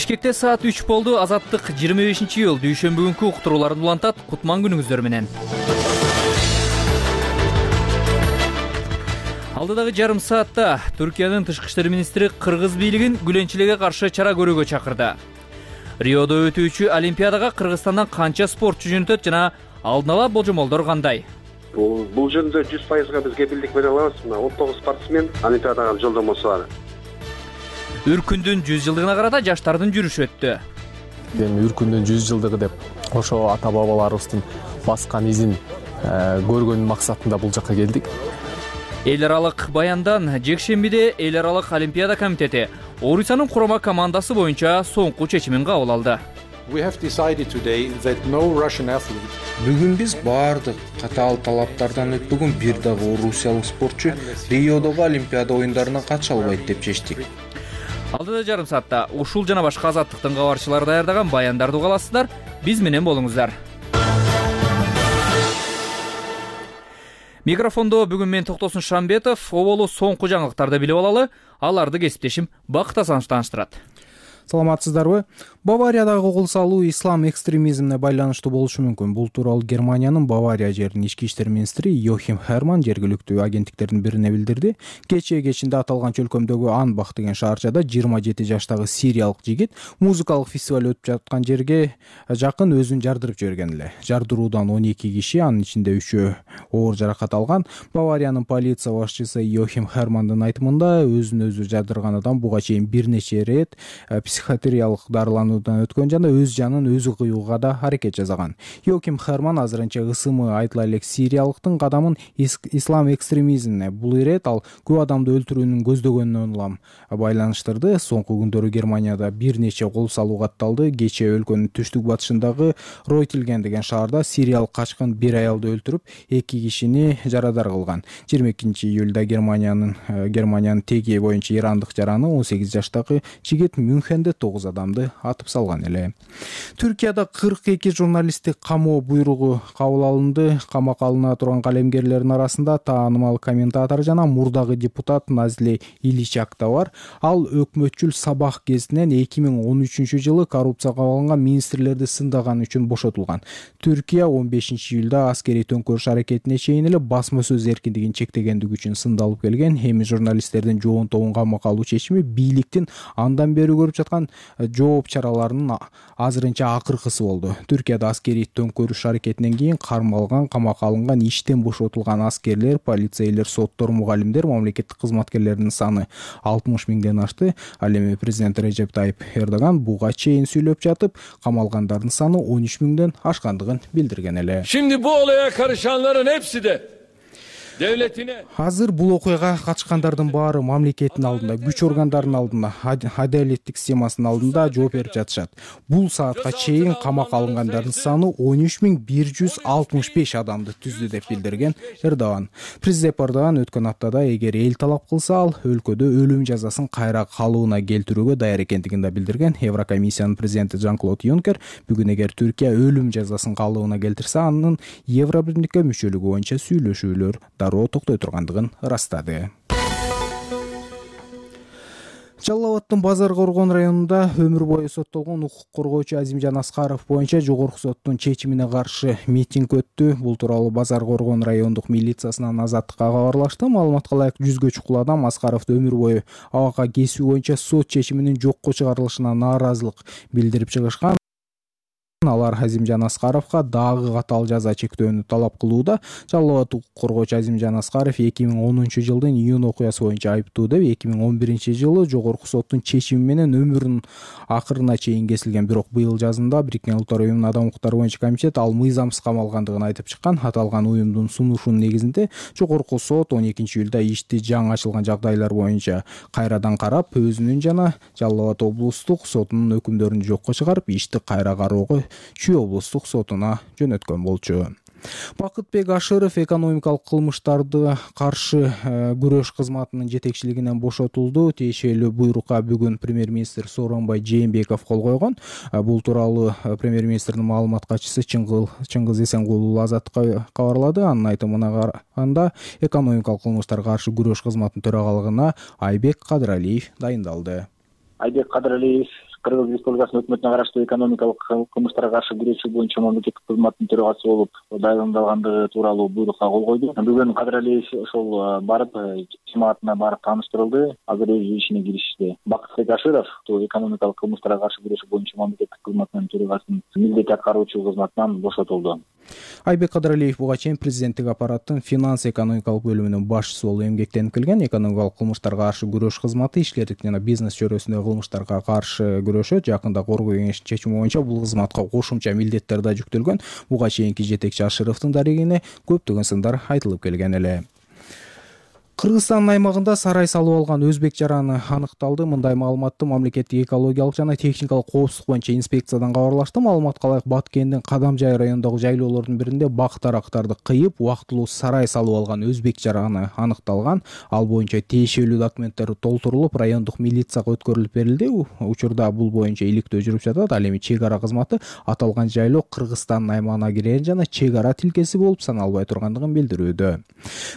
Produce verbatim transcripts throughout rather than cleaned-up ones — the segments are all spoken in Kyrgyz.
Бишкекте саат үч болду. Азаттык жыйырма бешинчи июль дүйшөмбү күнкү уктурууларын улантат. Кутман күнүңүздөр менен. Алдыдагы жарым саатта Түркиянын тышкы иштер министри кыргыз бийлигин гүленчиликке каршы чара көрүүгө чакырды. Риодо өтүүчү Олимпиадага Кыргызстандан канча спортчу жөнөтөт жана алдын ала болжомолдор кандай? Бул бул жөнүндө жүз пайызга биз кепилдик бере алабыз. Мына он тогуз спортсмен Олимпиадага жолдомосу бар. Үркүндүн жүз жылдыгына карата жаштардын жүрүшү өттү. Эми Үркүндүн жүз жылдыгы деп ошо ата бабаларыбыздын баскан изин көргөн максатында бул жакка келдик. Эл аралык баяндан жекшембиде Эл аралык Олимпиада комитети Орусиянын курама командасы боюнча соңку чечимин кабыл алды. Бүгүн биз баардык катаал талаптардан өтпөгөн бир дагы орусиялык спортчу Риодогу Олимпиада оюндарына катыша албайт деп чечтик. Алдыда жарым саатта ушул жана башка азаттыктын кабарчылары даярдаган баяндарды уга аласыздар. Биз менен болуңуздар. Микрофондо бүгүн мен Токтосун Шамбетов. Оболу соңку жаңылыктарды билип алалы. Аларды кесиптешим Бакыт Асанов таныштырат. Саламатсыздарбы? Бавариядагы кол салуу ислам экстремизмине байланыштуу болушу мүмкүн. Бул тууралуу Германиянын Бавария жеринин ички иштер министри Йохим Херман жергиликтүү агенттиктердин бирине билдирди. Кечээ кечинде аталган чөлкөмдөгү Анбах деген шаарчада жыйырма жети жаштагы сириялык жигит музыкалык фестиваль өтүп жаткан жерге жакын өзүн жардырып жиберген эле. Жардыруудан он эки киши, анын ичинде үчөө оор жаракат алган. Бавариянын полиция башчысы Йохим Хермандын айтымында өзүн өзү жардырган адам буга чейин бир нече ирет психиатриялык дарылануудан өткөн жана өз жанын өзү кыюуга да аракет жасаган. Йохим Херман азырынча ысымы айтыла элек сириялыктын кадамын ислам экстремизмине, бул ирет ал көп адамды өлтүрүүнүн көздөгөнүнө улам байланыштырды. Соңку күндөрү Германияда бир нече кол салуу катталды. Кечээ өлкөнүн түштүк батышындагы Ройтилген деген шаарда сириялык качкын бир аялды өлтүрүп, эки кишини жарадар кылган. жыйырма экинчи июлда Германиянын Германиянын теги боюнча ирандык жараны он сегиз жаштагы жигит Мюнхенде тогуз адамды атып салган эле. Түркияда кырк эки журналисттик камоо буйругу кабыл алынды. Камакка алына турган калемгерлердин арасында таанымал комментатор жана мурдагы депутат Назли Иличак да бар. Ал өкмөтчүл Сабах гезитинен эки миң он үчүнчү жылы коррупцияга кабылган министрлерди сындаган үчүн бошотулган. Түркия он бешинчи июлда аскерий төңкөрүш аракетине чейин эле басма сөз эркиндигин чектегендиги үчүн сындалып келген. Эми журналисттердин жоон тобун камакка алуу чечими бийликтин андан бери көрүп жаткан жооп чараларынын азырынча акыркысы болду. Түркияда аскерий төңкөрүш аракетинен кийин кармалган, камакка алынган, иштен бошотулган аскерлер, полицейлер, соттор, мугалимдер, мамлекеттик кызматкерлердин саны алтымыш миңден ашты. Ал эми президент Режеп Тайип Эрдоган буга чейин сүйлөп жатып, камалгандардын саны он үч миңден ашкандыгын билдирген эле. Şimdi bu olaya karışanların hepsi de devletine. Азыр бул окуяга катышкандардын баары мамлекеттин алдында, күч органдарынын алдында, адалеттик системасынын алдында жооп берип жатышат. Бул саатка чейин камакка алынгандардын саны он үч миң бир жүз алтымыш беш адамды түздү деп билдирген Эрдоган. Президент Эрдоган өткөн аптада эгер эл талап кылса, ал өлкөдө өлүм жазасын кайра калыбына келтирүүгө даяр экендигин да билдирген. Еврокомиссиянын президенти Жан-Клод Юнкер бүгүн эгер Түркия өлүм жазасын калыбына келтирсе, анын Евробирликке мүчөлүгү боюнча сүйлөшүүлөр дароо токтой тургандыгын ырастады. Жалал Абадтын Базар Коргон районунда өмүр бою соттолгон укук коргоочу Азимжан Аскаров боюнча жогорку соттун чечимине каршы митинг өттү. Бул тууралуу Базар Коргон райондук милициясынан Азаттыкка кабарлашты. Маалыматка ылайык жүзгө чукул адам Аскаровду өмүр бою абакка кесүү боюнча сот чечиминин жокко чыгарылышына нааразылык билдирип чыгышкан. Алар Азимжан Аскаровго дагы катаал жаза чектөөнү талап кылууда. Жалал Абад укук коргоочу Азимжан Аскаров эки миң онунчу жылдын июнь окуясы боюнча айыптуу деп эки миң он биринчи жылы жогорку соттун чечими менен өмүрүнүн акырына чейин кесилген. Бирок быйыл жазында Бириккен Улуттар уюмунун адам укуктары боюнча комитет ал мыйзамсыз камалгандыгын айтып чыккан. Аталган уюмдун сунушунун негизинде жогорку сот он экинчи июлда ишти жаңы ачылган жагдайлар боюнча кайрадан карап, өзүнүн жана Жалал Абад облустук сотунун өкүмдөрүн жокко чыгарып, ишти кайра кароого Чүй облустук сотуна жөнөткөн болчу. Бакытбек Ашыров экономикалык кылмыштарды каршы күрөш кызматынын жетекчилигинен бошотулду. Тиешелүү буйрукка бүгүн премьер-министр Сооронбай Жээнбеков кол койгон. Бул тууралуу премьер-министрдин маалымат катчысы Чыңгыз Эсенгулов Азаттыкка кабарлады. Анын айтымына караганда экономикалык кылмыштарга каршы күрөш кызматынын төрагалыгына Айбек Кадыралиев дайындалды. Айбек Кадыралиев Кыргыз Республикасынын өкмөтүнө караштуу экономикалык кылмыштарга каршы күрөшүү боюнча мамлекеттик кызматтын төрагасы болуп дайындалгандыгы тууралуу буйрукка кол койду. Бүгүн Кадыр Алиев ошол барып жамаатына барып тааныштырылды. Азыр өз ишине киришти. Бакытбек Аширов экономикалык кылмыштарга каршы күрөшүү боюнча мамлекеттик кызматтын төрагасынын милдет аткаруучу кызматынан бошотулду. Айбек Кадыр Алиев буга чейин президенттик аппараттын финанс экономикалык бөлүмүнүн башчысы болуп эмгектенип келген. Экономикалык кылмыштарга каршы күрөш кызматы ишкерлик жана бизнес чөйрөсүндөгү кылмыштарга каршы күрөшөт. Жакында Коргоо кеңешинин чечими боюнча бул кызматка кошумча милдеттер да жүктөлгөн. Буга чейинки жетекчи Ашировдун дарегине көптөгөн сындар айтылып келген эле. Кыргызстандын аймагында сарай салып алган өзбек жараны аныкталды. Мындай маалыматты мамлекеттик экологиялык жана техникалык коопсуздук боюнча инспекциядан кабарлашты. Маалыматка ылайык Баткендин Кадамжай районундагы жайлоолордун биринде бак дарактарды кыйып, убактылуу сарай салып алган өзбек жараны аныкталган. Ал боюнча тиешелүү документтер толтурулуп, райондук милицияга өткөрүлүп берилди. Учурда бул боюнча иликтөө жүрүп жатат. Ал эми чек ара кызматы аталган жайлоо Кыргызстандын аймагына кирген жана чек ара тилкеси болуп саналбай тургандыгын билдирүүдө.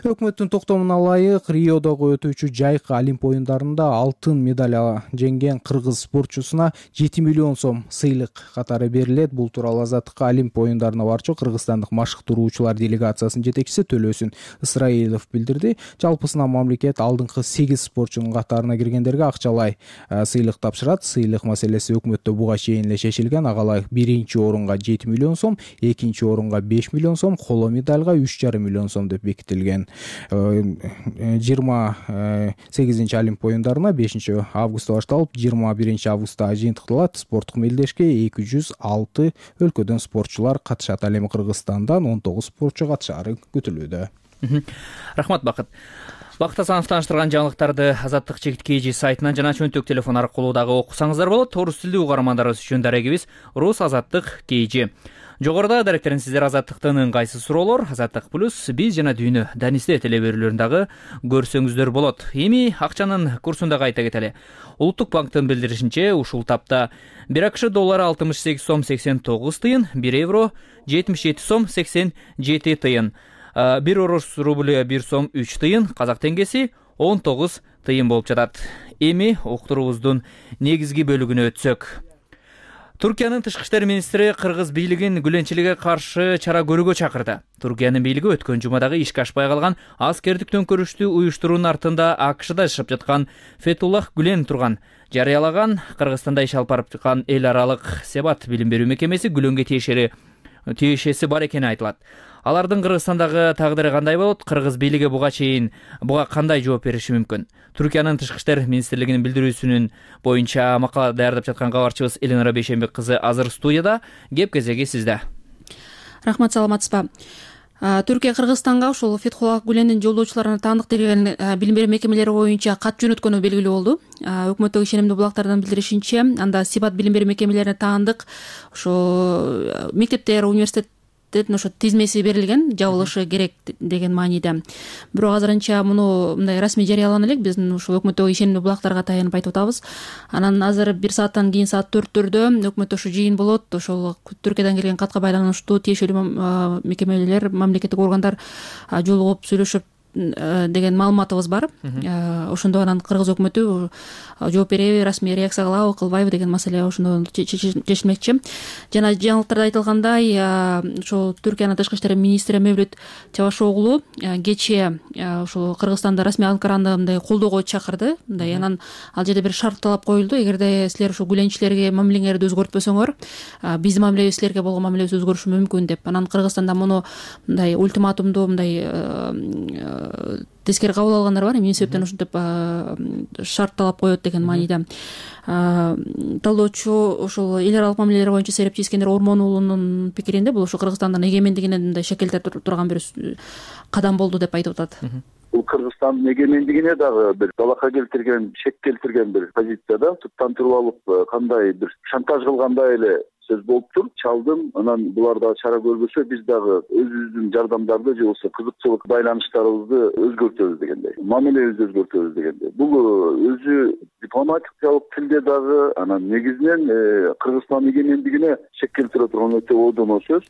Өкмөттүн токтомуна ылайык Риодогу өтүүчү жайкы Олимп оюндарында алтын медаль жеңген кыргыз спортчусуна жети миллион сом сыйлык катары берилет. Бул тууралуу Азаттыкка Олимп оюндарына барчу кыргызстандык машыктыруучулар делегациясынын жетекчиси Төлөсүн Ысрайылов билдирди. Жалпысынан мамлекет алдыңкы сегиз спортчунун катарына киргендерге акчалай сыйлык тапшырат. Сыйлык маселеси өкмөттө буга чейин эле чечилген. Ага биринчи орунга жети миллион сом, экинчи орунга беш миллион сом, коло медальга үч жарым миллион сом деп бекитилген. жыйырма сегизинчи Олимп оюндарына бешинчи августта башталып, жыйырма биринчи августта жыйынтыкталат. Спорттук мелдешке эки жүз алты өлкөдөн спортчулар катышат. Ал эми Кыргызстандан он тогуз спортчу катышары күтүлүүдө. Рахмат, Бакыт. Бакыт Асанов тааныштырган жаңылыктарды Азаттык чекит kg сайтынан жана чөнтөк телефон аркылуу дагы окусаңыздар болот. Орус тилдүү угармандарыбыз үчүн дарегибиз Рус Азаттык kg. Жогоруда даректерин сиздер Азаттыктын ыңгайсыз суроолор, Азаттык плюс биз жана дүйнө Данисте телеберүүлөрүн дагы көрсөңүздөр болот. Эми акчанын курсун дагы айта кетели. Улуттук банктын билдиришинче, ушул тапта бир АКШ доллары алтымыш сегиз сом сексен тогуз тыйын, бир евро жетимиш жети сом сексен жети тыйын, бир орус рублю бир сом үч тыйын, казак теңгеси он тогуз тыйын болуп жатат. Эми уктуруубуздун негизги бөлүгүнө өтсөк. Туркиянын тышкы иштер министри кыргыз бийлигин гүленчиликке каршы чара көрүүгө чакырды. Туркиянын бийлиги өткөн жумадагы ишке ашпай калган аскердик төңкөрүштү уюштуруунун артында АКШда жашап жаткан Фетуллах Гүлен турган жарыялаган. Кыргызстанда иш алып барып жаткан эл аралык Себат билим берүү мекемеси Гүленге тиешери тиешеси бар экени айтылат. Алардын Кыргызстандагы тагдыры кандай болот? Кыргыз бийлиги буга чейин буга кандай жооп бериши мүмкүн? Туркиянын тышкы иштер министрлигинин билдирүүсүнүн боюнча макала даярдап жаткан кабарчыбыз Элинара Бейшенбек кызы азыр студияда. Кеп кезеги сизде. Рахмат, саламатсызбы? Түркия Кыргызстанга ушул Фетхуллах Гүлендин жолдоочуларына таандык деген билим берүү мекемелери боюнча кат жөнөткөнү белгилүү болду. Өкмөттөгү ишенимдүү булактардан билдиришинче, анда Сибат билим берүү мекемелерине таандык ошо мектептер, университет ошо тизмеси берилген, жабылышы керек деген мааниде. Бирок азырынча муну мындай расмий жарыялана элек, биздин ушул өкмөттөгү ишенимдүү булактарга таянып айтып атабыз. Анан азыр бир сааттан кийин саат төрттөрдө өкмөттө ошо жыйын болот. Ошол Түркиядан келген катка байланыштуу тиешелүү мекемелер, мамлекеттик органдар жолугуп сүйлөшүп деген маалыматыбыз бар. Ошондо анан кыргыз өкмөтү жооп береби, расмий реакция кылабы, кылбайбы деген маселе ошондо чечилмекчи. Жана жаңылыктарда айтылгандай, ошол Түркиянын тышкы иштер министри Мевлют Чавашоглу кечээ ошол Кыргызстанда расмий Анкараны мындай колдоого чакырды. Мындай анан ал жерде бир шарт талап коюлду. Эгерде силер ошо гүленчилерге мамилеңерди өзгөртпөсөңөр, биздин мамилебиз силерге болгон мамилебиз өзгөрүшү мүмкүн деп. Анан Кыргызстанда муну мындай ультиматумду мындай тескери кабыл алгандар бар. Эмне себептен ушинтип шарт талап коет деген мааниде. Талоочу ошол эл аралык мамилелер боюнча серепчи Искендер Ормон уулунун пикиринде бул ошо Кыргызстандын эгемендигине мындай шекелдеп турган бир кадам болду деп айтып атат. Бул Кыргызстандын эгемендигине дагы бир талакка келтирген, шек келтирген бир позицияда туттан туруп алып кандай бир шантаж кылгандай эле сөз болуптур. Чалдым, анан булар дагы чара көрбөсө биз дагы өзүбүздүн жардамдарды же болбосо кызыкчылык байланыштарыбызды өзгөртөбүз дегендей, мамилебизди өзгөртөбүз дегендей. Бул өзү дипломатиялык тилде дагы анан негизинен Кыргызстан эгемендигине шек келтире турган өтө оодоно сөз.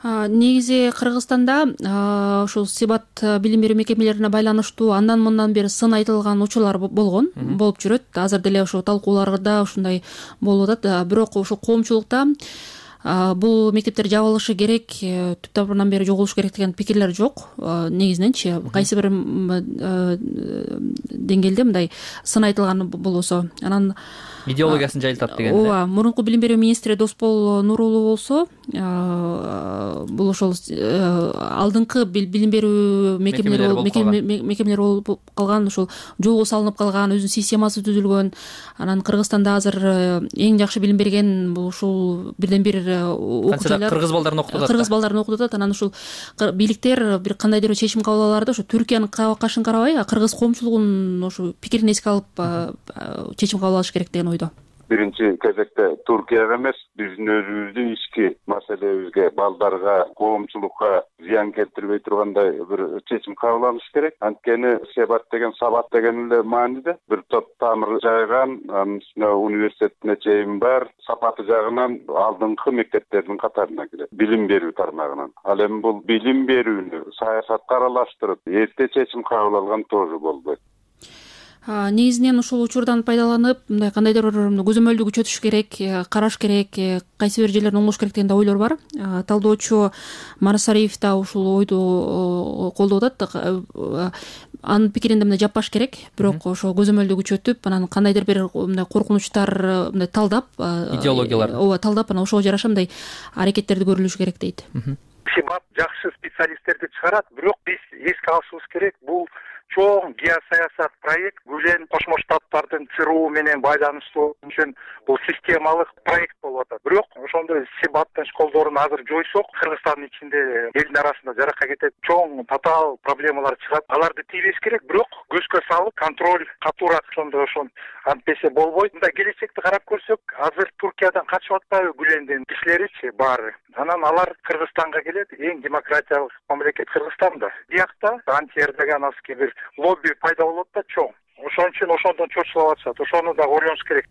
негизи Кыргызстанда ушул Сибат билим берүү мекемелерине байланыштуу андан мындан бери сын айтылган учурлар болгон, болуп жүрөт. Азыр деле ошол талкууларда ушундай болуп атат. Бирок ушул коомчулукта бул мектептер жабылышы керек, түп тамырынан бери жогулуш керек деген пикирлер жок. Негизиненчи кайсы бир деңгээлде мындай сын айтылган болсо, анан идеологиясын жайылтат деген. Ооба, мурунку билим берүү министри Досбол Нурулуу болсо, бул ошол алдыңкы билим берүү мекемелери мекемелер болуп калган, ошол жолго салынып калган, өзүнүн системасы түзүлгөн. Анан Кыргызстанда азыр эң жакшы билим берген бул ушул бирден бир окуучулар кыргыз балдарын окутуп атат. Кыргыз балдарын окутуп атат. Анан ушул бийликтер бир кандайдыр чечим кабыл алаларда ошо Түркиянын кашын карабай, кыргыз коомчулугунун ошо пикирин эске алып чечим кабыл алыш керек деген ойдо. Биринчи кезекте Туркияга эмес, биздин өзүбүздүн ички маселебизге, балдарга, коомчулукка зыян келтирбей тургандай бир чечим кабыл алыш керек. Анткени Себат деген, Сабат деген эле мааниде бир топ тамыр жайган, анын үстүнө университетине чейин бар, сапаты жагынан алдыңкы мектептердин катарына кирет, билим берүү тармагынан. Ал эми бул билим берүүнү саясатка аралаштырып, эрте чечим кабыл алган тоже болбойт. Негизинен ушул учурдан пайдаланып, мындай кандайдыр бир көзөмөлдү күчөтүш керек, караш керек, кайсы бир жерлерин оңдош керек деген да ойлор бар. Талдоочу Марсариев да ушул ойду колдоп атат. Анын пикиринде мындай жаппаш керек, бирок ошо көзөмөлдү күчөтүп, анан кандайдыр бир мындай коркунучтар мындай талдап, идеологиялар. Ооба, талдап, анан ошого жараша мындай аракеттерди көрүлүш керек дейт. Сибат жакшы специалисттерди чыгарат, бирок биз эске алышыбыз керек, бул чоң геосаясат проект, Гүлен Кошмо Штаттардын ЦРУ менен байланыштуу үчүн бул системалык проект болуп атат. Бирок ошондой Сибаттын школдорун азыр жойсок, Кыргызстандын ичинде элдин арасында жаракка кетет, чоң татаал проблемалар чыгат. Аларды тийбеш керек, бирок көзгө салып, контроль катуураак ошондой ошон антпесе болбойт. Мындай келечекти карап көрсөк, азыр Туркиядан качып атпайбы Гүлендин кишилеричи баары. Анан алар Кыргызстанга келет, эң демократиялык мамлекет Кыргызстан да. Биякта антиэрдогановский бир лобби пайда болот да чоң. Ошон үчүн ошондон чочулап атышат. Ошону да ойлонуш керек.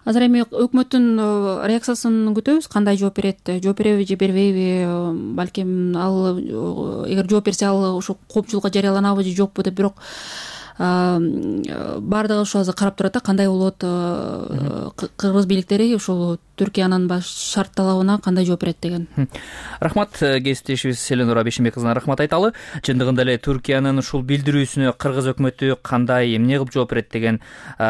Азыр эми өкмөттүн реакциясын күтөбүз. Кандай жооп берет? Жооп береби же бербейби? Балким ал эгер жооп берсе, ал ошо коомчулукка жарыяланабы же жокпу деп, бирок баардыгы ошо азыр карап турат да, кандай болот, кыргыз бийликтери ошол Түркиянын баш шарт талабына кандай жооп берет деген. Рахмат, кесиптешибиз Эленора Бейшенбек кызына рахмат айталы. Чындыгында эле Түркиянын ушул билдирүүсүнө кыргыз өкмөтү кандай, эмне кылып жооп берет деген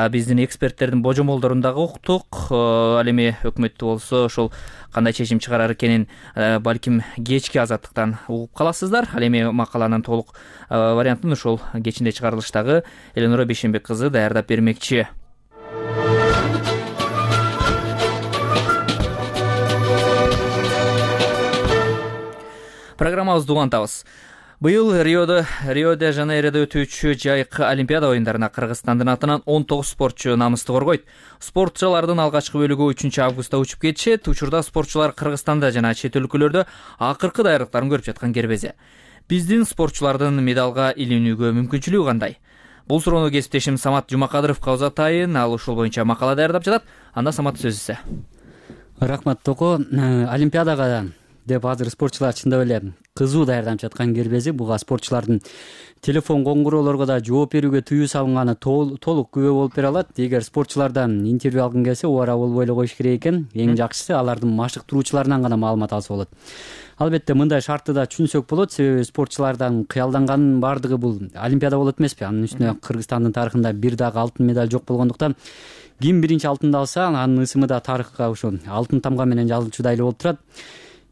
биздин эксперттердин божомолдорун дагы уктук. Ал эми өкмөттү болсо ошол кандай чечим чыгарар экенин балким кечки азаттыктан угуп каласыздар. Ал эми макаланын толук вариантын ошол кечинде чыгарылыштагы Эленора Бейшенбек кызы даярдап бермекчи. Программабызды улантабыз. Быйыл Риодо Рио-де Жанейрода өтүүчү жайкы Олимпиада оюндарына Кыргызстандын атынан он тогуз спортчу намысты коргойт. Спортчулардын алгачкы бөлүгү үчүнчү августта учуп кетишет. Учурда спортчулар Кыргызстанда жана чет өлкөлөрдө акыркы даярдыктарын көрүп жаткан кербезе. Биздин спортчулардын медалга илинүүгө мүмкүнчүлүгү кандай? Бул суроону кесиптешим Самат Жумакадыровго узатайын. Ал ушул боюнча макала даярдап жатат. Анда Самат, сөз сизде. Рахмат Токо. Олимпиадага деп азыр спортчулар чындап эле кызуу даярданып жаткан кербези. Буга спортчулардын телефон коңгуроолорго да жооп берүүгө тыюу салынганы толук күбө болуп бере алат. Эгер спортчулардан интервью алгың келсе, убара болбой эле коюш керек экен. Эң жакшысы алардын машыктыруучуларынан гана маалымат алса болот. Албетте мындай шартты да түшүнсөк болот, себеби спортчулардан кыялданганын баардыгы бул Олимпиада болот эмеспи? Анын үстүнө Кыргызстандын тарыхында бир дагы алтын медаль жок болгондуктан ким биринчи алтынды алса, анын ысымы да тарыхка ошо алтын тамга менен жазылчудай эле болуп турат.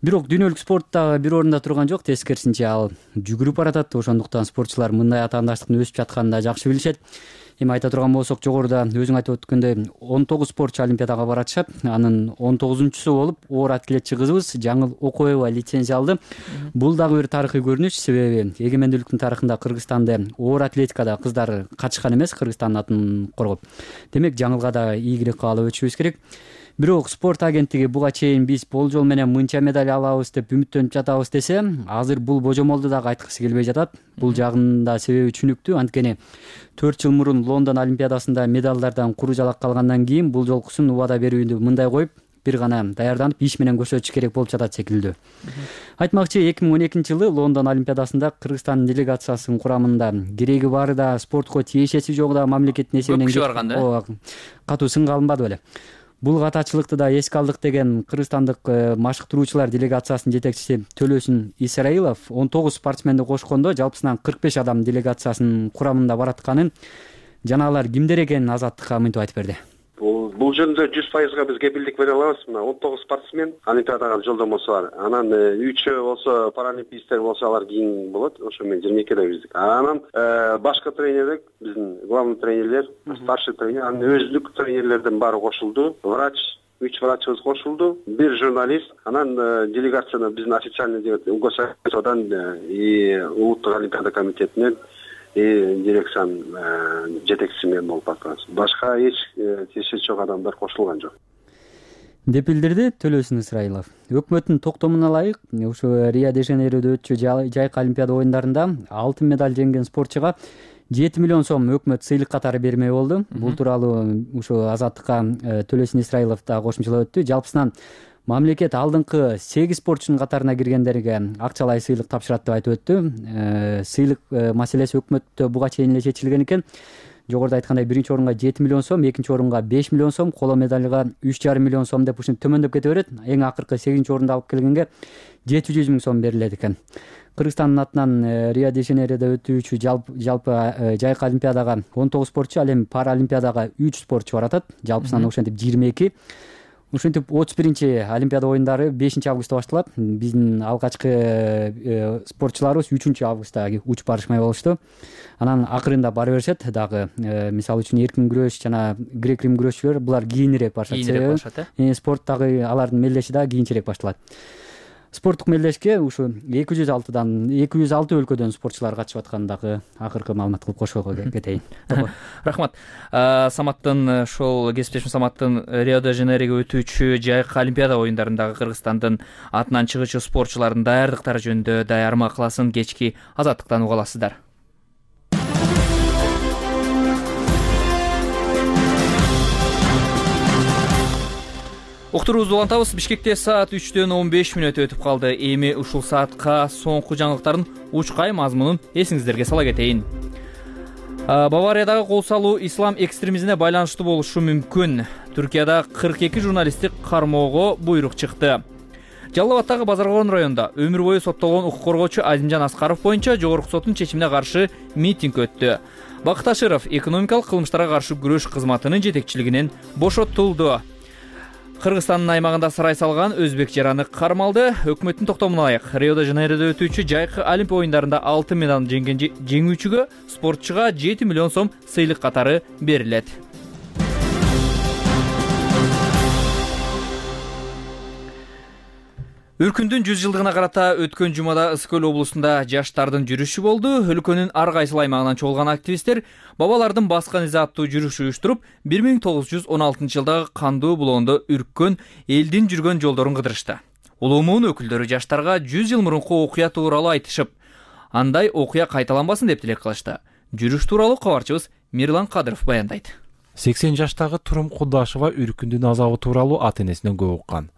Бирок дүйнөлүк спортта бир орунда турган жок, тескерисинче ал жүгүрүп баратат. Ошондуктан спортчулар мындай атаандаштыктын өсүп жатканын да жакшы билишет. Эми айта турган болсок, жогоруда өзүң айтып өткөндөй он тогуз спортчу Олимпиадага баратышат. Анын он тогузунчусу болуп оор атлетчи кызыбыз Жаңыл Окоева лицензия алды. Бул дагы бир тарыхый көрүнүш, себеби эгемендүүлүктүн тарыхында Кыргызстанда оор атлетикада кыздар катышкан эмес, Кыргызстандын атын коргоп. Демек Жаңылга да ийгилик каалап өтүшүбүз керек. Бирок спорт агенттиги буга чейин биз болжол менен мынча медаль алабыз деп үмүттөнүп жатабыз десе, азыр бул божомолду дагы айткысы келбей жатат. Бул жагында себеби түшүнүктүү. Анткени төрт жыл мурун Лондон Олимпиадасында медалдардан куру жалак калгандан кийин бул жолкусун убада берүүнү мындай коюп, бир гана даярданып иш менен көчөтүш керек болуп жатат секилдүү. Айтмакчы, эки миң он экинчи жылы Лондон Олимпиадасында Кыргызстан делегациясынын курамында кереги бары да спортко тиешеси жогу да мамлекеттин эсебинен көп киши барган да. Катуу сынга алынбады беле. Бул катачылыкты да эске алдык деген кыргызстандык машыктыруучулар делегациясынын жетекчиси Төлөсүн Исраилов он тогуз спортсменди кошкондо жалпысынан кырк беш адам делегациясынын курамында баратканын жана алар кимдер экенин Азаттыкка мынтип айтып берди. Бул жөнүндө жүз пайызга биз кепилдик бере алабыз. Мына он тогуз спортсмен Олимпиадага жолдомосу бар. Анан үчөө болсо паралимпийцтер болсо алар кийин болот. Ошо мен жыйырма экиде биздик. Анан башкы тренерлер, биздин главный тренерлер, старший тренер, анан өзлүк тренерлердин баары кошулду. Врач, үч врачыбыз кошулду, бир журналист, анан делегацияны биздин официальный деп УГСОдан и улуттук олимпиада комитетинен и дирекциянын жетекчиси мен болуп атабыз. Башка эч тиешеси жок адамдар кошулган жок деп билдирди Төлөсүн Исраилов. Өкмөттүн токтомуна ылайык, ушу Рио-де-Жанейродо өтчү жайкы олимпиада оюндарында алтын медаль жеңген спортчуга жети миллион сом өкмөт сыйлык катары бермей болду. Бул тууралуу ушу Азаттыкка Төлөсүн Исраилов да кошумчалап өттү. Жалпысынан мамлекет алдыңкы сегиз спортчунун катарына киргендерге акчалай сыйлык тапшырат деп айтып өттү. Сыйлык маселеси өкмөттө буга чейин эле чечилген экен. Жогоруда айткандай биринчи орунга жети миллион сом, экинчи орунга беш миллион сом, коло медальга үч жарым миллион сом деп ушинтип төмөндөп кете берет. Эң акыркы сегизинчи орунду алып келгенге жети жүз миң сом берилет экен. Кыргызстандын атынан Рио-де-Жанейродо өтүүчү жалпы жайкы олимпиадага он тогуз спортчу, ал эми паралимпиадага үч спортчу баратат. Жалпысынан ошентип жыйырма эки. Ушинтип отуз биринчи олимпиада оюндары бешинчи августта башталат. Биздин алгачкы спортчуларыбыз үчүнчү августта учуп барышмай болушту. Анан акырында бара беришет дагы. Мисалы үчүн эркин күрөш жана грек-рим күрөшчүлөр булар кийинирээк башат. Кийинирээк башат, э? Спорттагы алардын мелдеши да кийинчерээк башталат. Спорттук мелдешке ушу эки жүз алтыдан эки жүз алты өлкөдөн спортчулар катышып атканын дагы акыркы маалымат кылып кошого кетейин. Рахмат. Саматтын ошол кесиптешим Саматтын Рио-де-Жанейрого өтүүчү жайкы олимпиада оюндарындагы Кыргызстандын атынан чыгуучу спортчулардын даярдыктары жөнүндө даярма кыласын кечки Азаттыктан уга аласыздар. Уктуруубузду улантабыз. Бишкекте саат үчтөн он беш мүнөт өтүп калды. Эми ушул саатка соңку жаңылыктардын учкай мазмунун эсиңиздерге сала кетейин. Бавариядагы кол салуу ислам экстремизмине байланыштуу болушу мүмкүн. Түркияда кырк эки журналистти кармоого буйрук чыкты. Жалал Абаддагы Базаркорон районунда өмүр бою соттолгон укук коргоочу Азимжан Аскаров боюнча жогорку соттун чечимине каршы митинг өттү. Бакыт Аширов экономикалык кылмыштарга каршы күрөш кызматынын жетекчилигинен бошотулду. Кыргызстандын аймагында сарай салган өзбек жараны кармалды. Өкмөттүн токтомуна ылайык Рио-де-Жанейродо өтүүчү жайкы олимпия оюндарында алтын медаль жеңген жеңүүчүгө спортчуга жети миллион сом сыйлык катары берилет. Үркүндүн жүз жылдыгына карата өткөн жумада Ысык Көл облусунда жаштардын жүрүшү болду. Өлкөнүн ар кайсыл аймагынан чогулган активисттер бабалардын баскан изи аттуу жүрүш уюштуруп, бир миң тогуз жүз он алтынчы жылдагы кандуу булоондо үрккөн элдин жүргөн жолдорун кыдырышты. Улуу муун өкүлдөрү жаштарга жүз жыл мурунку окуя тууралуу айтышып, андай окуя кайталанбасын деп тилек кылышты. Жүрүш тууралуу кабарчыбыз Мирлан Кадыров баяндайт. сексен жаштагы Турум Кудашева үркүндүн азабы тууралуу ата энесинен көп уккан.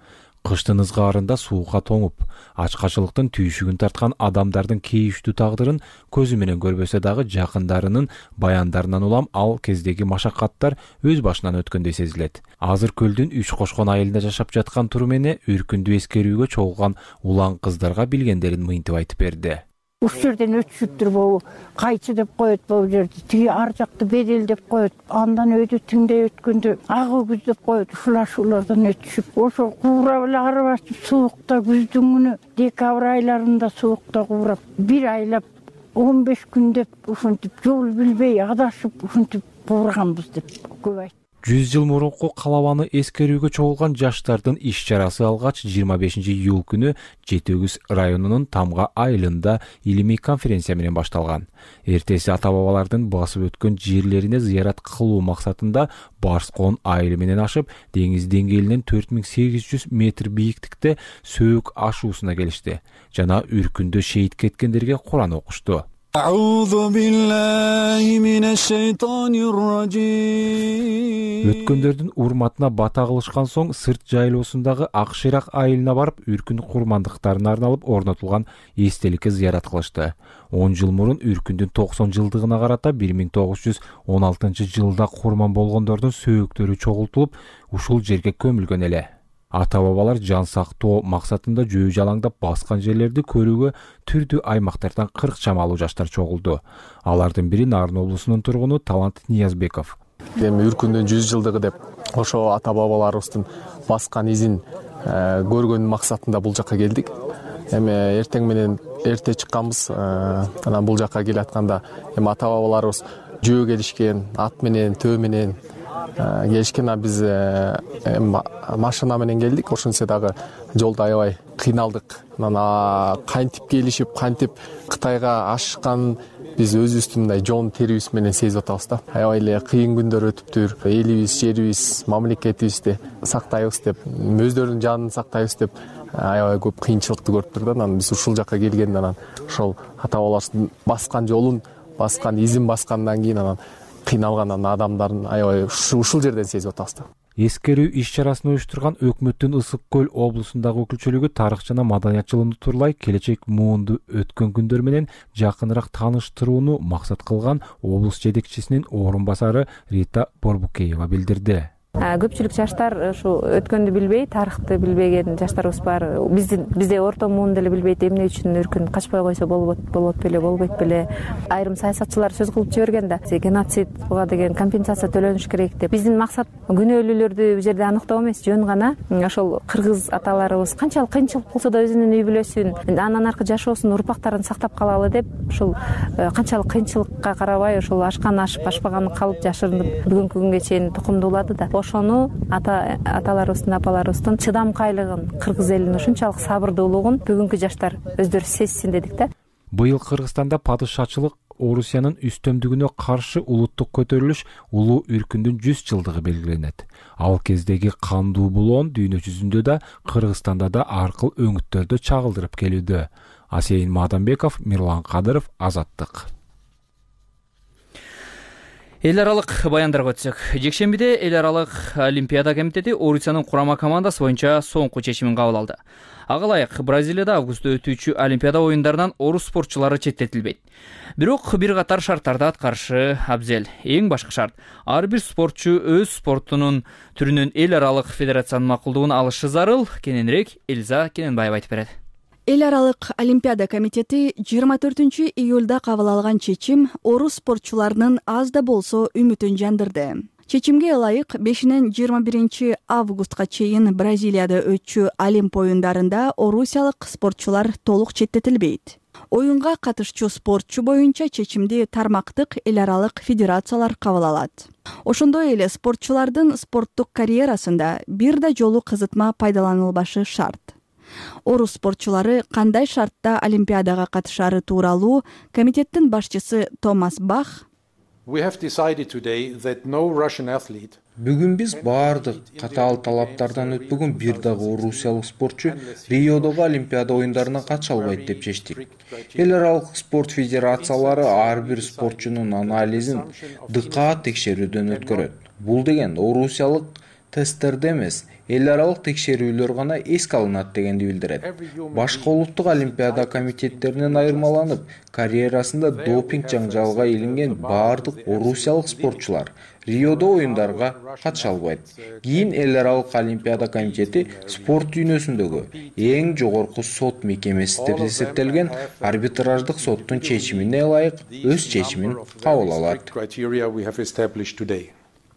Кыштын ызгаарында суукка тоңуп, ачкачылыктын түйшүгүн тарткан адамдардын кейиштүү тагдырын көзү менен көрбөсө дагы жакындарынын баяндарынан улам ал кездеги машакаттар өз башынан өткөндөй сезилет. Азыр көлдүн үч кошкон айылында жашап жаткан Турум эне үркүндү эскерүүгө чогулган улан кыздарга билгендерин мынтип айтып берди. Ушул жерден өтүшүптүр болу, кайчы деп коет бул жерди, тиги ар жакты бедел деп коет, андан өтүп тиңдей өткөндө ак өгүз деп коет, ушулар ушулардан өтүшүп, ошо куурап эле ары басып суукта күздүн күнү декабрь айларында суукта куурап, бир айлап он беш күн деп ушинтип жол билбей адашып ушинтип куурганбыз деп көп айт. жүз жыл мурунку калабаны эскерүүгө чогулган жаштардын иш чарасы алгач жыйырма бешинчи июль күнү Жети Өгүз районунун Тамга айылында илимий конференция менен башталган. Эртеси ата-бабалардын басып өткөн жерлерине зыярат кылуу максатында Барскон айылы менен ашып, деңиз деңгээлинен төрт миң сегиз жүз метр бийиктикте Сөөк ашуусуна келишти жана үркүндө шейит кеткендерге Куран окушту. Өткөндөрдүн урматына бата кылышкан соң сырт жайлоосундагы ак шыйрак айылына барып Үркүн курмандыктарына арналып орнотулган эстеликке зыярат кылышты. он жыл мурун Үркүндүн токсон жылдыгына карата бир миң тогуз жүз он алтынчы жылда курман болгондордун сөөктөрү чогултулуп, ушул жерге көмүлгөн эле. Ата-бабалар жан сактоо максатында жөө жалаңдап баскан жерлерди көрүүгө түрдүү аймактардан кырк чамалуу жаштар чогулду. Алардын бири Нарын облусунун тургуну Талант Ниязбеков. Эми Үркүндүн жүз жылдыгы деп ошо ата-бабаларыбыздын баскан изин көргөн максатында бул жакка келдик. Эми эртең менен эрте чыкканбыз. Анан бул жакка келатканда эми ата-бабаларыбыз жөө келишкен, ат менен, төө менен келишкен. Биз машина менен келдик. Ошентсе дагы жолдо аябай кыйналдык. Анан кантип келишип, кантип Кытайга ашкан биз өзүбүздүн мындай жон терибиз менен сезип атабыз да. Аябай эле кыйын күндөр өтүптүр. Элибиз, жерибиз, мамлекетибизди сактайбыз деп, өздөрүнүн жанын сактайбыз деп аябай көп кыйынчылыкты көрүптүр да. Анан биз ушул жакка келгенде анан ошол ата-бабаларыбыздын баскан жолун, баскан изин баскандан кийин анан кыйналган адамдардын аябай ушул жерден сезип атабыз да. Эскерүү иш-чарасын уюштурган Өкмөттүн Ысык көл облусундагы өкүлчүлүгү тарых жана маданият жылын турлай келечек муунду өткөн күндөр менен жакыныраак тааныштырууну максат кылган облус жетекчисинин орун басары Рита Борбукеева билдирди. Көпчүлүк жаштар ушу өткөндү билбей, тарыхты билбеген жаштарыбыз бар. Биздин бизде орто муун деле билбейт, эмне үчүн Үркүн качпай койсо болбойт, болбойт беле, болбойт беле. Айрым саясатчылар сөз кылып жиберген да, геноцид буга деген компенсация төлөнүш керек деп. Биздин максат күнөөлүүлөрдү бул жерде аныктоо эмес, жөн гана ошол кыргыз аталарыбыз канчалык кыйынчылык болсо да өзүнүн үй бүлөсүн, андан аркы жашоосун, урпактарын сактап калалы деп, ушул канчалык кыйынчылыкка карабай, ошол ашкан ашып, ашпаганы калып жашырынып бүгүнкү күнгө чейин тукумдуулады да. Ошону ата аталарыбыздын, апаларыбыздын чыдамкайлыгын, кыргыз элинин ушунчалык сабырдуулугун бүгүнкү жаштар өздөрү сезсин дедик да. Быйыл Кыргызстанда падышачылык Орусиянын үстөмдүгүнө каршы улуттук көтөрүлүш улуу Үркүндүн жүз жылдыгы белгиленет. Ал кездеги кандуу булоон дүйнө жүзүндө да, Кыргызстанда да аркыл өңүттөрдө чагылдырып келүүдө. Асейин Мадамбеков, Мирлан Кадыров, Азаттык. Эл аралык баяндарга өтсөк. Жекшембиде Эл аралык Олимпиада комитети Орусиянын курама командасы боюнча соңку чечимин кабыл алды. Ага ылайык Бразилияда августта өтүүчү Олимпиада оюндарынан орус спортчулары четтетилбейт. Бирок бир катар шарттарды аткарышы абзел. Эң башкы шарт — ар бир спортчу өз спортунун түрүнөн эл аралык федерациянын макулдугун алышы зарыл. Кененирээк Элза Кененбаева айтып берет. Эл аралык Олимпиада комитети жыйырма төртүнчү июлда кабыл алган чечим орус спортчуларынын аз да болсо үмүтүн жандырды. Чечимге ылайык бешинен жыйырма биринчи августка чейин Бразилияда өтчү Олимп оюндарында орусиялык спортчулар толук четтетилбейт. Оюнга катышчу спортчу боюнча чечимди тармактык эл аралык федерациялар кабыл алат. Ошондой эле спортчулардын спорттук карьерасында бир да жолу кызытма пайдаланылбашы шарт. Орус спортчулары кандай шартта Олимпиадага катышары тууралуу комитеттин башчысы Томас Бах Бүгүн биз баардык катаал талаптардан өтпөгөн бир дагы орусиялык спортчу Риодогу Олимпиада оюндарына катыша албайт деп чечтик. Эл аралык спорт федерациялары ар бир спортчунун анализин дыкаат текшерүүдөн өткөрөт. Бул деген орусиялык тесттерде эмес, эл аралык текшерүүлөр гана эске алынат дегенди билдирет. Башка улуттук олимпиада комитеттеринен айырмаланып, карьерасында допинг жаңжалга илинген баардык орусиялык спортчулар Риодо оюндарга катыша албайт. Кийин эл аралык олимпиада комитети спорт дүйнөсүндөгү эң жогорку сот мекемеси деп эсептелген арбитраждык соттун чечимине ылайык өз чечимин кабыл алат.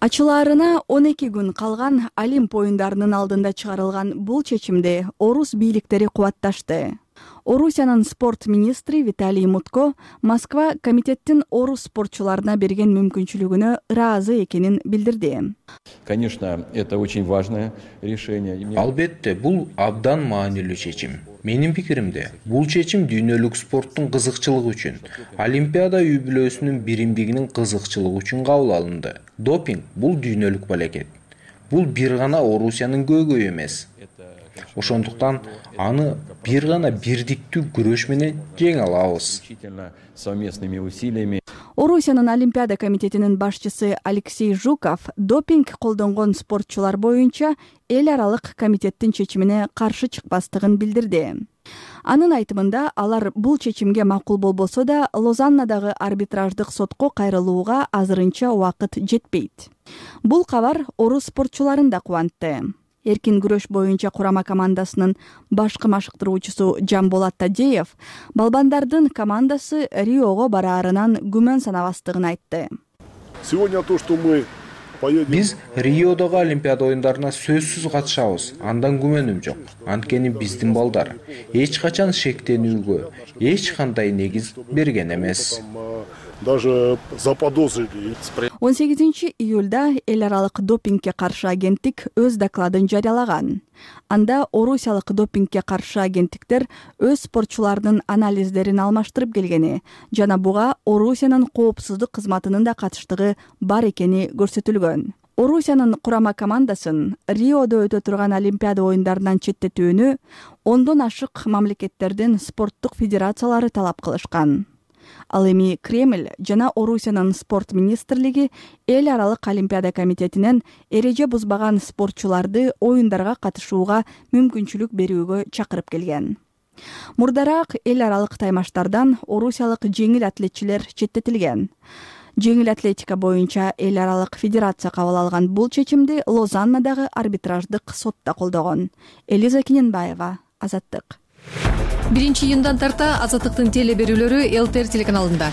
Ачылаарына он эки күн калган Олимп оюндарынын алдында чыгарылган бул чечимди орус бийликтери кубатташты. Орусиянын спорт министри Виталий Мутко Москва комитеттин орус спортчуларына берген мүмкүнчүлүгүнө ыраазы экенин билдирди. Конечно, это очень важное решение. Албетте, бул абдан маанилүү чечим. Менин пикиримде, бул чечим дүйнөлүк спорттун кызыкчылыгы үчүн, Олимпиада үй бүлөсүнүн биримдигинин кызыкчылыгы үчүн кабыл алынды. Допинг — бул дүйнөлүк балекет. Бул бир гана Орусиянын көйгөйү эмес. ошондуктан аны бир гана бирдиктүү күрөш менен жеңе алабыз. Орусиянын Олимпиада комитетинин башчысы Алексей Жуков допинг колдонгон спортчулар боюнча эл аралык комитеттин чечимине каршы чыкпастыгын билдирди. Анын айтымында алар бул чечимге макул болбосо да Лозаннадагы арбитраждык сотко кайрылууга азырынча убакыт жетпейт. Бул кабар орус спортчуларын да кубантты. Эркин күрөш боюнча курама командасынын башкы машыктыруучусу Жамболат Тадеев балбандардын командасы Риого бараарынан күмөн санабастыгын айтты. Сегодня то, что мы Биз Риодогу Олимпиада оюндарына сөзсүз катышабыз. Андан күмөнүм жок. Анткени биздин балдар эч качан шектенүүгө эч кандай негиз берген эмес. Даже заподозрили. он сегизинчи июлда эл аралык допингге каршы агенттик өз докладын жарыялаган. Анда орусиялык допингге каршы агенттиктер өз спортчулардын анализдерин алмаштырып келгени жана буга Орусиянын коопсуздук кызматынын да катыштыгы бар экени көрсөтүлгөн. Орусиянын курама командасын Риодо өтө турган Олимпиада оюндарынан четтетүүнү ондон ашык мамлекеттердин спорттук федерациялары талап кылышкан. Ал эми Кремль жана Орусиянын спорт министрлиги эл аралык Олимпиада комитетинен эреже бузбаган спортчуларды оюндарга катышууга мүмкүнчүлүк берүүгө чакырып келген. Мурдараак эл аралык таймаштардан орусиялык жеңил атлетчилер четтетилген. Жеңил атлетика боюнча эл аралык федерация кабыл алган бул чечимди Лозаннадагы арбитраждык сотто колдогон. Элиза Киненбаева, Азаттык. биринчи июндан тарта Азаттыктын теле берүүлөрү эл тэ эр телеканалында.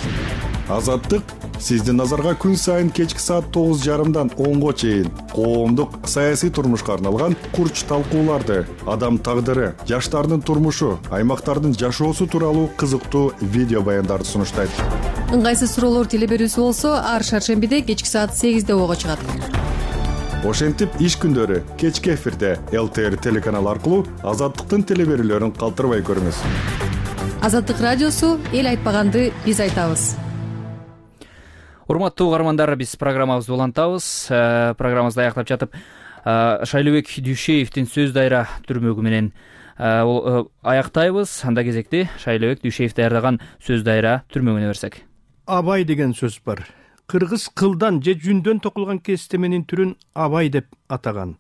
Азаттык сиздин назарга күн сайын кечки саат тогуз жарымдан онго чейин коомдук саясий турмушка арналган курч талкууларды, адам тагдыры, жаштардын турмушу, аймактардын жашоосу тууралуу кызыктуу видео баяндарды сунуштайт. Ыңгайсыз суроолор теле берүүсү болсо ар шаршембиде кечки саат сегизде ого чыгат. Ошентип иш күндөрү кечки эфирде эл тэ эр телеканалы аркылуу Азаттыктын теле берүүлөрүн калтырбай көрүңүз. Азаттык радиосу эл айтпаганды биз айтабыз. Урматтуу угармандар, биз программабызды улантабыз. Программабызды аяктап жатып, Шайлообек Дүйшеевдин сөз дайра түрмөгү менен аяктайбыз. Анда кезекти Шайлообек Дүйшеев даярдаган сөз дайра түрмөгүнө берсек. Абай деген сөз бар. Кыргыз кылдан же жүндөн токулган кестеменин түрүн абай деп атаган.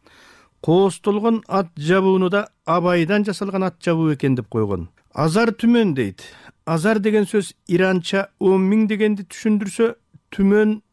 Коостолгон ат жабууну да абайдан жасалган ат жабуу экен деп койгон. Азар түмөн дейт. Азар деген сөз иранча он миң дегенди түшүндүрсө, түмөн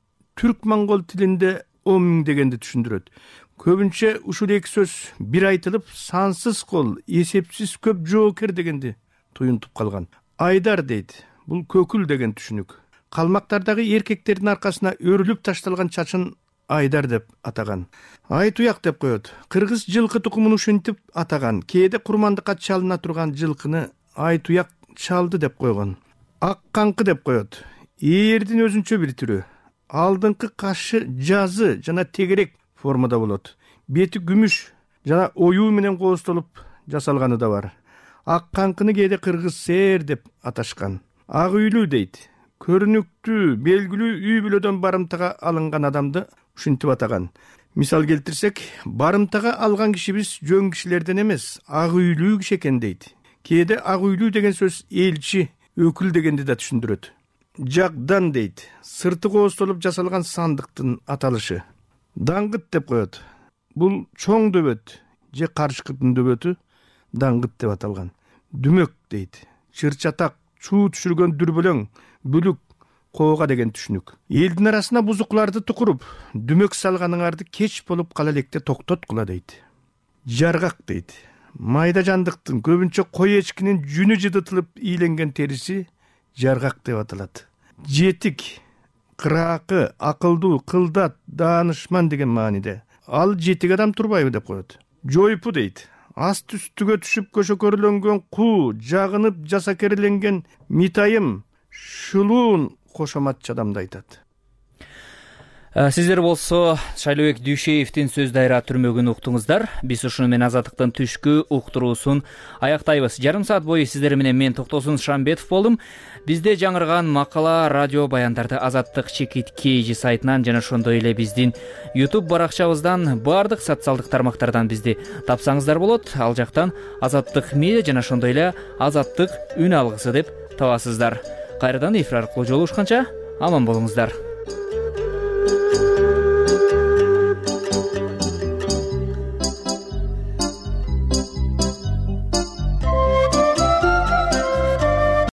түрк-монгол тилинде он миң дегенди түшүндүрөт. Көбүнчө ушул эки сөз бир айтылып, сансыз кол, эсепсиз көп жоокер дегенди туюнтуп калган. Айдар дейт. Бул көкүл деген түшүнүк. Калмактардагы эркектердин аркасына өрүлүп ташталган чачын айдар деп атаган. Ай туяк деп коет. Кыргыз жылкы тукумун ушинтип атаган. Кээде курмандыкка чалына турган жылкыны ай туяк чалды деп койгон. Ак канкы деп коет. Ээрдин өзүнчө бир түрү. Алдыңкы кашы жазы жана тегерек формада болот. Бети күмүш жана оюу менен коостолуп жасалганы да бар. Ак канкыны кээде кыргыз сээр деп аташкан. Ак үйлүү дейт. Көрүнүктүү, белгилүү үй бүлөдөн барымтага алынган адамды ушинтип атаган. Мисал келтирсек, барымтага алган кишибиз жөн кишилерден эмес, ак үйлүү киши экен дейт. Кээде ак үйлүү деген сөз элчи, өкүл дегенди да түшүндүрөт. Жагдан дейт. Сырты коостолуп жасалган сандыктын аталышы. Даңгыт деп коет. Бул чоң дөбөт же карышкыдын дөбөтү даңгыт деп аталган. Дүмөк дейт. Чырчатак, чуу түшүргөн дүрбөлөң, бүлүк, коога деген түшүнүк. Элдин арасына бузукларды тукуруп, дүмөк салганыңарды кеч болуп кала электе токтоткула дейт. Жаргак дейт. Майда жандыктын, көбүнчө кой эчкинин жүнү жыдытылып ийленген териси жаргак деп аталат. Жетик, кыраакы, акылдуу, кылдат, даанышман деген мааниде. Ал жетик адам турбайбы деп коет. Жойпу дейт. Аст үстүгө түшүп көшөкөрүлөнгөн куу, жагынып жасакерленген митайым, шулуун кошоматчы адамды айтат. Сиздер болсо Шайлообек Дүйшеевдин сөз дайра түрмөгүн уктуңуздар. Биз ушуну менен Азаттыктын түшкү уктуруусун аяктайбыз. Жарым саат бою сиздер менен мен Токтосун Шамбетов болдум. Бизде жаңырган макала, радио баяндарды Азаттык чекит kg сайтынан жана ошондой эле биздин YouTube баракчабыздан, баардык социалдык тармактардан бизди тапсаңыздар болот. Ал жактан Азаттык медиа жана ошондой эле Азаттык үн алгысы деп табасыздар. Кайрадан эфир аркылуу жолугушканча аман болуңуздар.